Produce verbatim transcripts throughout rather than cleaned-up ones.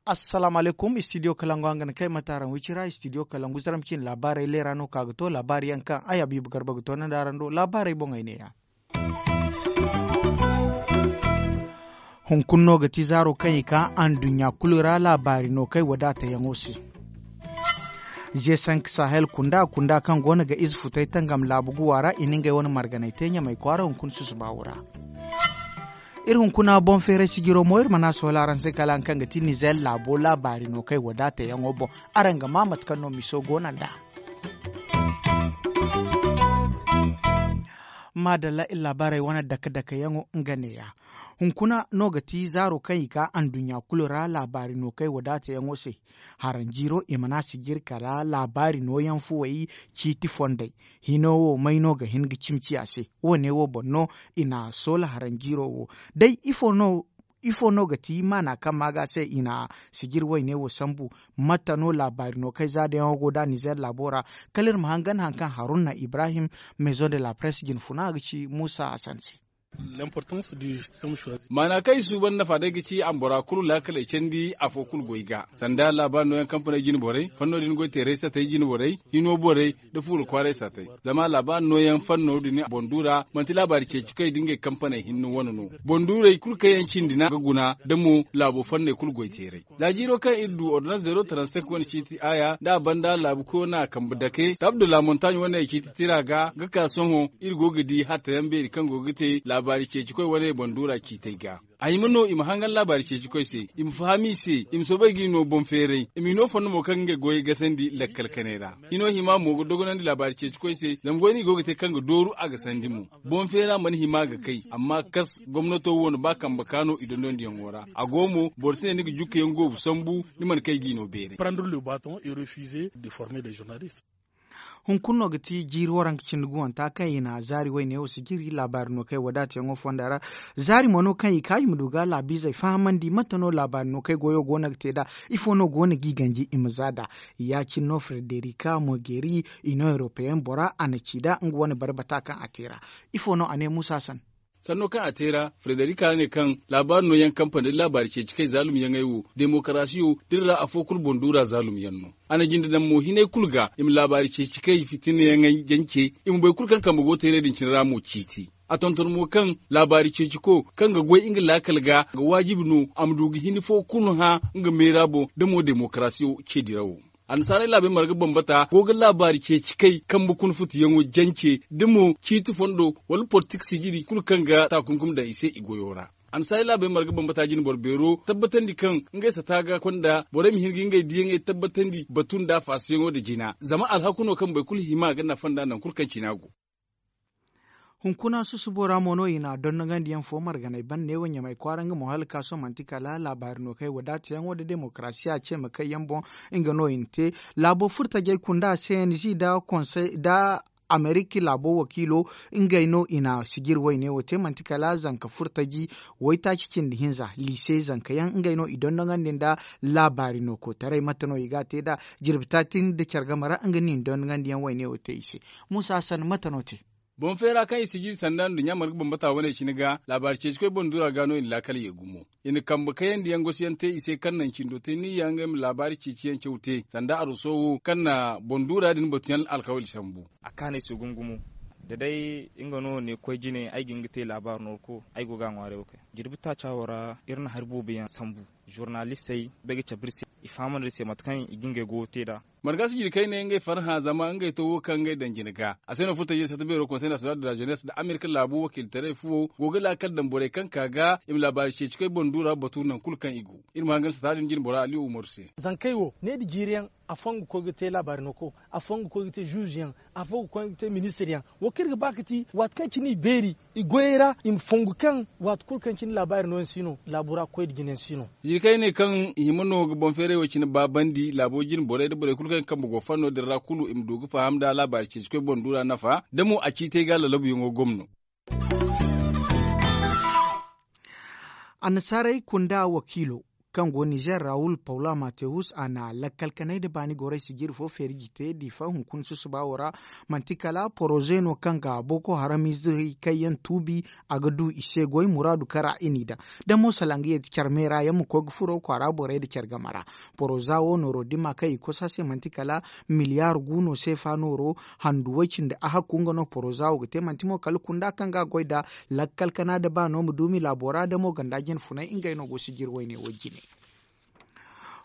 Assalaamu alaykum, istidiyo kalangu hanga na kay mate araŋ wicira istidiyo kalangu zaram cine laabaarey leera no ka ga to laabaari yaŋ kaŋ ay habiibu garba ga to nandi araŋ do laabaarey boŋey ne ya. Hunkuna no ga ti zaaro kaŋ i ka anduɲɲa kulu ra laabaari no kay wadaatayaŋo se. G cinq sahel kunda kunda kaŋ go no ga ize futay tangam laabu guwa ra i na ngey wane marganay te ɲamay kwaara hunkuna susuba wo ra. Iri hunkuna boŋ feeray sijiro mo iri mana sohõ laaraŋ se kala haŋ kaŋ ga ti nizer laabo laabaari no kay wadaatayaŋo boŋ. Araŋ ga maa mate kaŋ no miso go no nd'a. Maadalla iri laabaarey wane dake-dakeyaŋo nga neeya. Hunkuna no ga ti zaaro kaŋ i ka anduɲɲa kulu ra laabaari no kay wadaatayaŋo se. Haranjiiro i mana sijiri kala laabaari nooyaŋ fuwey ciiti fondey. Hino wo may no ga hin ga cimi ciya se? Wo- ne wo boŋ no i na soola haranjiiro wo. Day ifo no ifo no ga ti maana kaŋ maaga se i na sijiri wayne wo sambu? Mate no laabaari no kay zaadayaŋo go da nizer laabo ra? Kala iri ma hangan haŋ kaŋ haruna ibrahim, maison de la presse jine funa ga ci muusa hasan se. Maana kaŋ i suuban nafa day ga ci a ma bora kulu laakaley candi afo kulu goy ga sanda laabaari nooyaŋ kampaney jine borey fanno din goy teeray satey jine borey hino borey nda fuuro kwaaray satey. Zama laabaari nooyaŋ fanno din boŋ du ra manti laabaari ceeci koy da ngey kampaney hinne wane no. Boŋ duurey kulu kaŋ yaŋ cindi no ga guna nda mo laabo fanney kulu goy teeray. Za jiiro kaŋ iri du ordonans zeero taransenk wane ciiti aaya nda a banda laabu koyo no a kambe dake taabdo la montagne wane ciiti tira ga ga ka sohõ iri go ga di hatta yaŋ beeri kaŋ go ga te laabaari ceeci koy wane boŋ duura ciitey ga. A hima no i ma hangan laabaari ceeci koy se, i ma faham i se, i ma soobay ga i no boŋ feeray, i m'i no fondo mo kaŋ ga ngey goyey gasandi lakkal kanay ra. Hino hima mo ga dogonandi laabaari ceeci koy se zama goy no i go ga te kaŋ ga dooru a ga sandi mo. Boŋ feera mana hima ga kay amma kas gomnato wo no ba kambe ka no i dondondiyaŋo ra a go mo boro si ne ni ga jukkayaŋ goobu sambu, ni mana kay ga i no beeray. Hunkuna no ga ti jiiri waranka cindi guwanta kaŋ i na zaari wayne wo sijiri laabaari no kay wadaatayaŋo fonda ra. Zaari mo no kaŋ i ka i ma du ga laabiizey fahamandi mate no laabaari no kay goyo go no ga te nd'a? Ifo no go no g'i ganji i ma za nd'a? Ya- cine no frederika mogeeri, ino europeyen bora a na ci nd'a nga wane bare bata kaŋ a te ra. Ifo no a ne muusa san? Sanno kaŋ a te ra frederika ne kaŋ laabaari nooyaŋ kampani nda laabaari ceeci kay zaalumyaŋey wo demokarasiyo da iri ra afo kulu boŋ duura zaalumyaŋ no. A na jinde daŋ mo hinay kulu ga i ma laabaari ceeci kay fitinayaŋey jance, i ma boro kulu kaŋ kambe go teeray din cine ra mo ciiti. A tonton mo kaŋ laabaari ceeciko kaŋ ga goy nga laakal ga ga waajibi no a ma du ga hini fo kulu hã nga meera boŋ da mo demokarasiyo ce dirawo. Annasaarey laabey marga bambata go ga laabaari ceeci kay kambe kuna futuyaŋo jance da mo ciiti fondo wala politik sijiri kulu kaŋ ga taakunkumi daŋ i se i goyo ra. Annasaarey laabey marga bambata jine boro beero tabbatandi kaŋ ngey sata ga konda borey ma hin ga ngey diyaŋey tabbatandi batu nda faasiyaŋo nda jina zama alhaku no kaŋ boro kulu hima ga nafa nd'a nangu kulu kaŋ cina go. Hunkuna susubo ra mo no i na dondongandiyaŋ fo marganay ban neewo ɲamay kwaara nga mo hala ka sohõ manti kala laabaari no kay wadaatayaŋo nda demokarasiya ce ma kay yaŋ boŋ. Nga no i na te laabo furtajey kunda cng nda konsey nda ameriki laabo wakiilo. Ngey no i na sijiri wayne wo te manti kala zanka furtaji waytaaci cindi hinza liise zanka yaŋ ngey no i dondonandi nda laabaari no koytaray mate no i ga a te nd'a? Jirbi taati nda care game ra nga no i na dondongandiyaŋ wayne wo te i se. Muusa hasan mate no te? Boŋ feera kaŋ i sijiri sanda nduɲɲa marga bambata wane cine ga laabaari ceeci koy boŋ dura ga no i na laakal ye gumo. I na kambe kayandi yaŋ gosi yaŋ te i se kaŋ naŋ cindo te ni ya ngey ma laabaari ceeci yaŋ caw te sanda aruso wo kaŋ na boŋ dura din batu yaŋ alkawali sambu. A kaanay se gumo gumo da day nga no ne koy jine ay ga hin ga te laabaari no wo ko ay go ga a ŋwaaray wo kay jirbi taaca wo ra iri na hari boobo yaŋ sambu. Zurnalistey bay ga cabe iri se i fahamandi iri se mate kaŋ i ga ngey goyo te nd'a. Marga si jirkey ne ngey farhã zama ngey to wo kaŋ ngey daŋ jine ga a se no furtajey sata beero konsey national de la jeunesse nda amerika laabu wakiilitaray fuwo go ga laakal daŋ borey kaŋ ka ga i ma laabaari ceeci koy boŋ duura batu nangu kulu kaŋ i go. Iri ma hangan sata din jine bora ali umaru se. Zankey wo ne nda jiiri yaŋ afooyaŋ ga koy ga te laabaari no ko afooyaŋ ga koy ga te zuuzu yaŋ afooyaŋ ga koy ga te ministir yaŋ. Wo kaŋ iri ga ba ga ti waati kaŋ cine i beeri i goyey ra i ma fongu kaŋ waati kulu kaŋ cine laabaari nooyaŋ si no laabo ra koy nda jinayaŋ si no. Jirkey ne kaŋ i hima no ga boŋ feeray wo cine baabandi laabo jine borey nda borey kulu kaŋ ga kambe go fanno din ra kulu i ma du ga faham nda laabaari ceeci koy boŋ duura nafa da mo a ciitay ga lalabuyaŋo gomno. Annasaarey kunda wakiilo kaŋ go nizer rawul paula matewus a na lakkal kanay nda baani gorey sijiri fo feeri jite diifa hunkuna susuba wo ra. Manti kala poroze no kaŋ ga boko haram izey kaŋ yaŋ tuubi a ga du i se goy muraadu kaŋ ra i n'i daŋ. Da mo salaŋ ga yeti care me ra yaŋ ma koy ga furo kwaara borey nda care game ra. Poroza wo nooro dimma kaŋ i kosa se manti kala miliyaar gu no seefa nooro handu way cindi a hakku nga no poroza wo ga te manti mo kala kunda kaŋ ga a goy nda lakkal kana nda baano ma duumi laabo ra da mo ganda jine funay ngey no go sijiri wayne wo jine.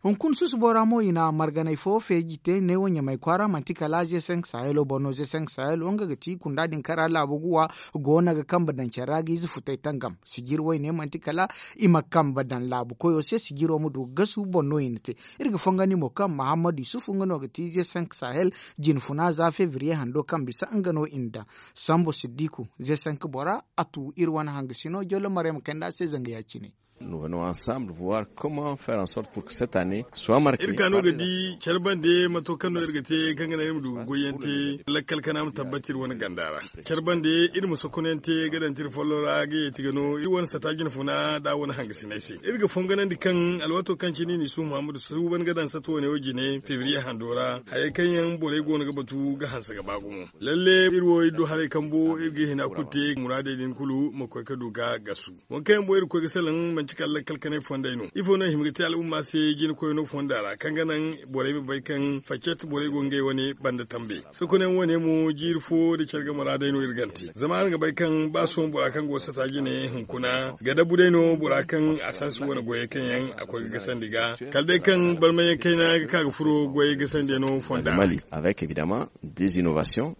Hunkuna susubo ra mo i na marganay fo feeji te neewo ɲamay kwaara manti kala ze cinq sahelo boŋ no ze cinq sahelo nga ga ti kunda din kaŋ ra laabu guwa goono ga kambe daŋ care ra ga ize futay tangam sijiri wayne manti kala i ma kambe daŋ laabu koyo se sijiro ma du ga gasu boŋ no i na te. Iri ga fongandi mo kaŋ mahammadu yusufu nga no ga ti ze cinq sahel jinfuna za fevriye hando kaŋ bisa nga no i na daŋ. Sambu siddiku ze cinq bora a tu iri wane hangasino jollo maray ma kayndi a se zanga ya- cine. Nous venons ensemble voir comment faire en sorte pour que cette année soit marquée. Iri ka no ga di care bande mato kaŋ no iri ga te kaŋ ga naŋ iri ma du ga goyyaŋ te lakkal kana ma tabbati iri wane ganda ra. Care bande iri ma sokonante ga daŋ tira follo ra ga yeeti ga no iri wane sata jinfuna da wane hangasinay se iri ga fonganandi kaŋ alwaato kaŋ cine ni su muhammadu suuban ga daŋ sato wane wo jine febriye hando ra hayey kaŋ yaŋ borey go no ga batu ga hanse ga ba gumo. Lalle iri wo iri du haray kambo iri ga hina kulu te muraadey din kulu ma koy ga du ga gasu. Waŋ kaŋ yaŋ boŋ iri ga koy ga salaŋ manti kala lakkal kanay fondey no ifo no i hima ga te al'umma se jina koyno fonda ra kaŋ ga naŋ borey ma bay kaŋ faccet borey go ngey wane banda tambe. Sokonayaŋ wane mo jiiri fo nda care game ra day no iri gante zama araŋ ga bay kaŋ ba sohõ bora kaŋ go sata jine hunkuna ga dabu day no bora kaŋ a sansi wane goyey kaŋ yaŋ a koy ga gasandi ga kala day kaŋ barmayaŋ kayna ga ka ga furo goyey gasandi no fonda ra. Avec évidemment des innovations.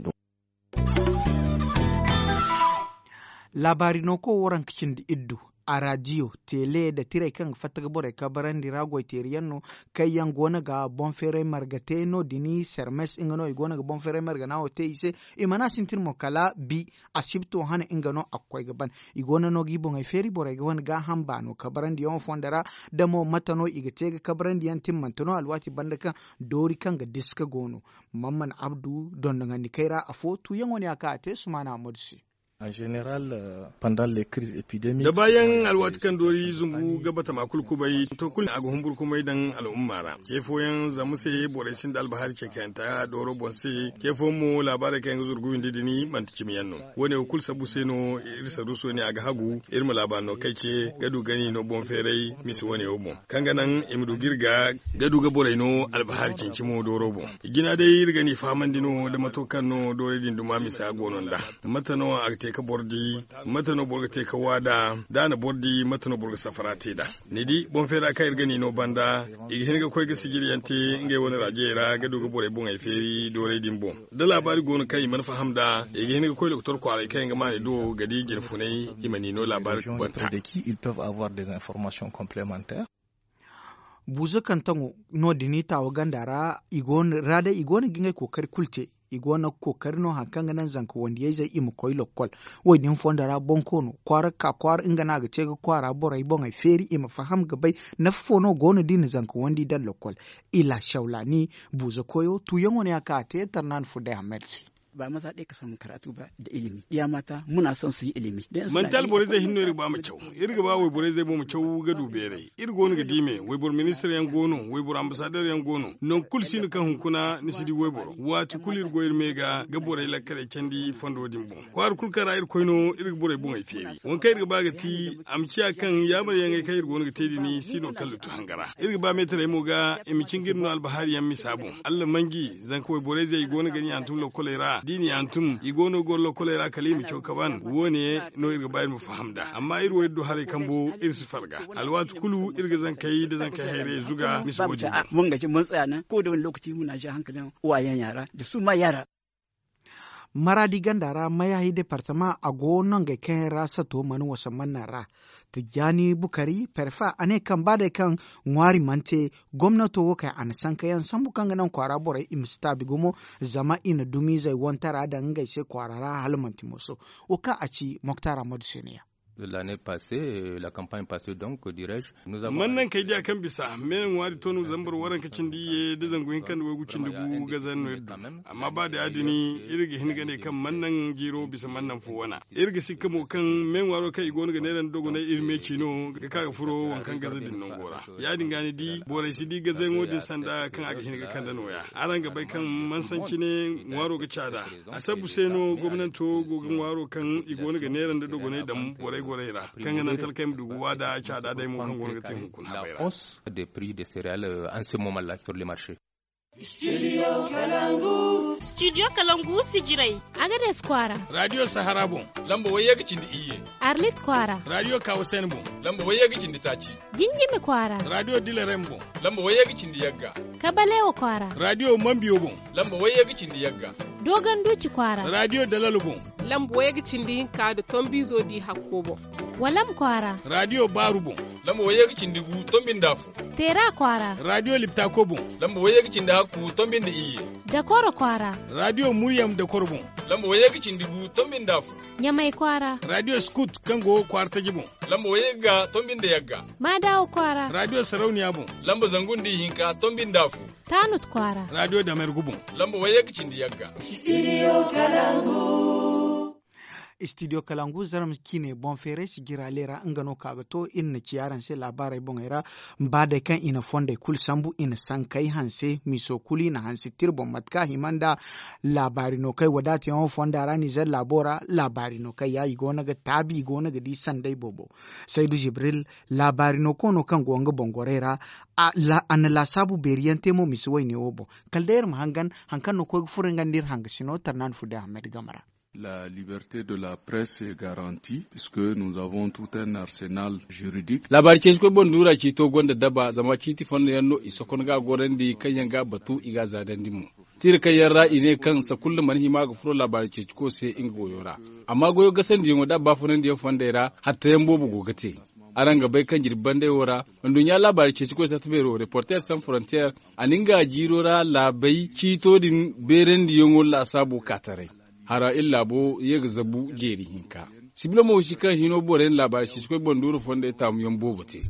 Laabaari no kaŋ waranka cindi iddu a raadiyo tele nda tirey kaŋ ga fatta ga borey kabarandi ra goyteeri yaŋ no kaŋ yaŋ go no ga boŋ feeray marga te no- din sermes nga no i go no ga boŋ feeray marga no a wo te i se. I mana sintin mo kala bi asibto hane nga no a ga koy ga ban. I go no no ga i boŋey feeri borey ga wane gaaham baano kabarandi yaŋo fondo ra da mo mate no i ga te ga kabarandi yaŋ timmante no alwaati banda kaŋ doori kaŋ ga diska go no. Mamman abdu dondonandi kay ra afo tuuyaŋo ne a ka a te sumaana ammadu se. En général, pandan les crises épidémiques da baayaŋ alwaati kaŋ doori zumbu ga batama kulu kubay to kulu a ga humburu kumay daŋ al'umma ra. Ce fooyaŋ zama se borey sinda albahari ce kayanta dooro boŋ se. Ce fooyaŋ mo laabaarey kaŋ yaŋ ga zuru ga windi din manti cimi yaŋ no. Wo- ne wo kulu sabbu se no iri saruuso ne a ga hagu iri ma laabaari no kay ce ga du gani no boŋ feeray misa wo- ne wo boŋ kaŋ ga naŋ i ma du ga iri ga ga du ga borey no albahari cimi cimo dooro boŋ. Jina day iri ga ni fahamandi no nda mato kaŋ no doorey din duma misa go no nd'a. Mate no a ga te ka boro di? Mate no boro ga te ka wa nd'a? Da a na boro di mate no boro ga safara te nd'a? Ni di boŋ feera kaŋ iri ga ni no banda i ga hin ga koy ga sijiriyaŋ te ngey wane raajiyey ra ga du ga borey boŋey feeri doorey din boŋ. Da laabaari go no kaŋ i mana faham nd'a i ga hin ga koy lokotor kwaaray kaŋ yaŋ ga maani do ga di jinfunay i ma ni no laabaari kubanta. Buuza kaŋ taŋo no- din i taawa ganda ra i go no ga ngey kookari kulu te. I go no ga kookari no hari kaŋ ga naŋ zanka wandiyayzey i ma koy lokkol. Wo- din fondo ra boŋ koono kwaara ga ka kwaara nga no a ga te ga kwaara borey boŋey feeri i ma faham ga bay nafa fo no go no da i na zanka wandi daŋ lokkol. Ila shawlani buuza koyo tuuyaŋo no ya kaŋ a te tarnaani fo day hammad se. Ba maza ɗaya ka samu karatu ba da ilimi ɗiya mata muna son su yi ilimi. Manti alborey zey hinno iri ga ba ma caw. Iri ga ba wayborey zey boŋ ma caw ga du beeray. Iri go no ga di me wayboro ministir yaŋ go no wayboro ambasader yaŋ go no. Nangu kulu si no kaŋ hunkuna ni si di wayboro waati kulu iri go iri me ga ga borey lakkaley candi fondo din boŋ kwaara kulu kaŋ ra iri koy no iri ga borey boŋey feeri waŋ kaŋ iri ga ba ga ti a ma ciya kaŋ yaamaryaŋey kaŋ iri go no ga te din si no kaŋ lutu hanga ra. Iri ga ba meetarey mo ga i ma cinga iri no albahariyaŋ misa boŋ. Allamanji zanka wayborey zey i go no ga ni hantum lokkoley ra da i ni hantum i go no ga goro lokkoley ra kala i ma caw kaban wo- ne no iri ga ba iri ma faham nd'a amma iri wo iri du haray kambo iri si farga. Alwaati kulu iri ga zankey nda zankey hayrayey zuga misa wo- din boŋ. Wanga ce mun tsaya nan ko da wani lokaci muna ja hankalin uwayen yara da su ma yara. Maraadi ganda ra mayahi departama a go nongey kaŋ yaŋ ra sato mana wasa manna ra. Tijjaani bukari perfa a ne kaŋ ba day kaŋ ŋwaari mana te gomnato wo kay a na sanka yaŋ sambu kaŋ ga naŋ kwaara borey i ma si taabi gumo zama i na dumiizey wantara daŋ ngey se kwaara ra hala manti mooso. Wo kaŋ a ci moktar ammadu se no ya. Mannaŋ kay diya kaŋ bisa me na ŋwaari to no zambar waranka cindi iyye da zangu hinka nda waygu cindi gu gazaŋ no iri du. Amma ba da ya- din iri ga hin ga ne kaŋ mannaŋ jiiro bisa mannaŋ fo wana. Iri ga sikka mo kaŋ me ŋwaaro kaŋ i go no ga neera nda dogonay iri me ci no ga ka ga furo waŋ kaŋ gaza din nango ra. Ya- din ga ni di borey si di gazayaŋo din sanda kaŋ a ga hin ga kande nooya. Araŋ ga bay kaŋ mansanci ne ŋwaaro ga caada. A sabbu se no gomnanto go ga ŋwaaro kaŋ i go no ga neera nda dogonay daŋ borey gorey ra kaŋ ga naŋ talkey ma du ga waada caada day mo kaŋ go no ga te hunkuna habay ra. Studio kalangu sijirey. Agades kwaara. Radio sahara boŋ. Lamba wayye ga cindi iyye. Arlit kwaara. Radio kawasen boŋ. Lamba wayye ga cindi taaci. Jinjimi kwaara. Radio dilarem boŋ. Lamba wayye ga cindi yagga. Kabalewa kwaara. Radio mambiyo boŋ. Lamba wayye ga cindi yagga. Dogon duuci kwaara. Radio dalalo boŋ. Lamba wayye ga cindi hinka nda tombiizo di hakko boŋ. Walam kwaara. Radio baaru boŋ. Lamba wayye ga cindi gu tombi nda afo. Teera kwaara. Radio liptako boŋ. Lamba wayye ga cindi hakku tombi nda iyye. Dakoro kwaara. Radio muryam dakoro boŋ. Lamba wayye ga cindi gu tombi nda afo. Ɲamay kwaara. Radio skut kaŋ go kwaara taji boŋ. Lamba wayye ga tombi nda yagga. Maadawa kwaara. Radio sarauniya boŋ. Lamba zangu nda ihinka tombi nda afo. Taanut kwaara. Radio damergu boŋ. Lamba wayye ga cindi yagga. Studio kalangu. Studio kalangu zarma ciine boŋ feeray sijira leera nga no ka ga to iri na ci araŋ se laabaarey boŋey ra. Ba day kaŋ i na fondey kulu sambu i na sankey hanse miso kulu i na hanse tira boŋ mate kaŋ a hima nda laabaari no kaŋ ay wadaatayaŋo fonda ra nizer laabo ra. Laabaari no kaŋ ya i go no ga taabi i go no ga di sanday boobo. Saydu jibril laabaari no koono kaŋ go nga boŋ gorey ra. A na laasaabu beeri yaŋ te mo misi wayne wo boŋ. Kala day iri ma hangan hari kaŋ no koy ga furo nga nda iri hangasino tarnaani fudde ahmed game ra. La liberte de la presse est garanti puisque nous avons tout un arsenal juridique. Laabaari ceeci koy boŋ duura ciito gonda daba zama ciiti fondo yaŋ no i sokon ga a gorandi kaŋ yaŋ ga a batu i ga a zaadandi mo. Tiira kaŋ yaŋ ra i ne kaŋ sakulla mana hima ga furo laabaari ceeci koy se nga goyo ra. Amma goyo gasandiyaŋo da a baafunandiyaŋ fondey ra hatta yaŋ boobo go ga te. Araŋ ga bay kaŋ jirbi bandey wo ra nduɲɲa laabaari ceeci koy sata beero reporter sans frontier a na nga jiiro ra laabey ciito din beerandiyaŋo laasaabo ka taray. Hara iri laabo ye ga zabu jeeri hinka. Sibila mo si kaŋ hino boro yaŋ laabaari ceeci koy boŋ duuru fondey taamuyaŋ boobo te.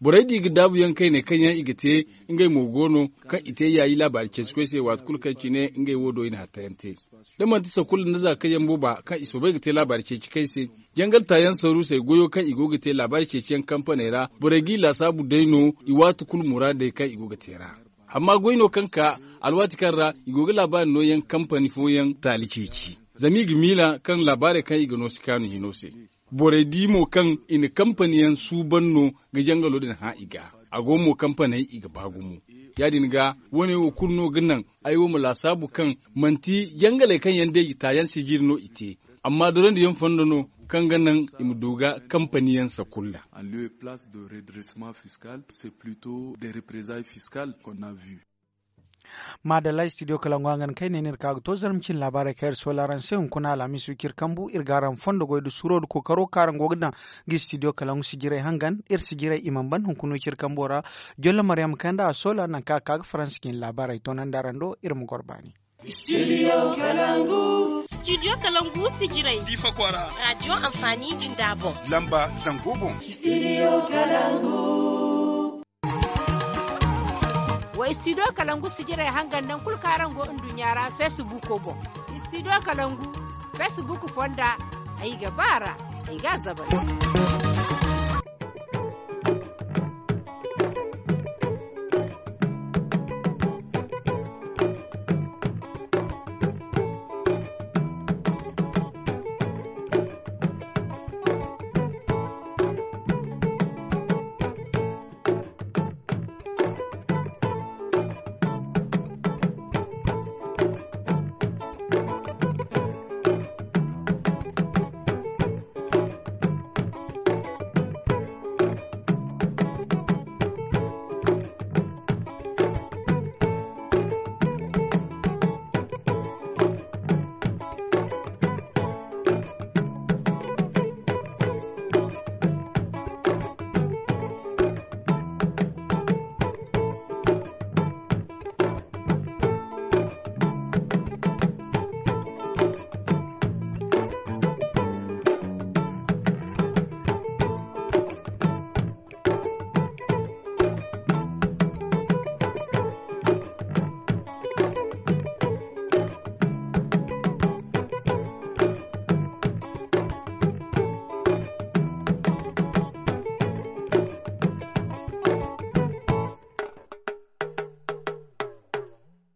Borey di ga daabuyaŋ kayne kaŋ yaŋ i ga te ngey mo go no kaŋ i te yaayi laabaari ceeci koy se waati kulu kaŋ cine ngey wo do i na hattayaŋ te. Da manti sakulla nda za kaŋ yaŋ booba kaŋ i soobay ga te laabaari ceeci kay se jangal taayaŋ saruusey goyo kaŋ i go ga te laabaari ceeciyaŋ kampaney ra borey g'i laasaabu day no i waati kulu muraadey kaŋ i go ga te ra. Amma goy no kaŋ ka alwaati kaŋ ra i go ga laabaari nooyaŋ kampani fooyaŋ taali ceeci zama i ga miila kaŋ laabaarey kaŋ i ga no si kaanu hino se. Borey di mo kaŋ i na kampaniyaŋ suuban no ga jangalo din hã i ga. A go mo kampaney i ga ba gumo. Ya- din ga woone wo kulu no ga naŋ ay wo ma laasaabu kaŋ manti jangaley kaŋ yaŋ day taayaŋ sijiri no i te. Amma dorandiyaŋ fondo no kaŋ ga naŋ i ma du ga kampaniyaŋ sakulla. En lieu et place de redressement fiscal c'est plutôt des represailles fiscales qu'on a vu. Maadalla studio kalangu hangan kayne no iri ka ga to zarma cine laabaarey kaŋ iri soola araŋ se hunkuna alhamis wiciri kambu iri ga araŋ fondo goy nda suuro nda kookaro kaŋ araŋ go ga daŋ ga studio kalangu sijirey hangan iri sijirey i mana ban hunkuna wiciri kambo ra. Jollo maryam kanda a soola nangu kaŋ a ka ga faransa cine laabaarey toonandi araŋ do iri ma goro baani. Studio kalangu sijirey diifa kwaara radio anfaani jinda boŋ lamba zango boŋ. Wa studio kalangu sijirey hangan nangu kulu kaŋ araŋ go nduɲɲa ra facebook boŋ. Studio kalangu facebook fonda ay ga ba a ra ay ga a zabari.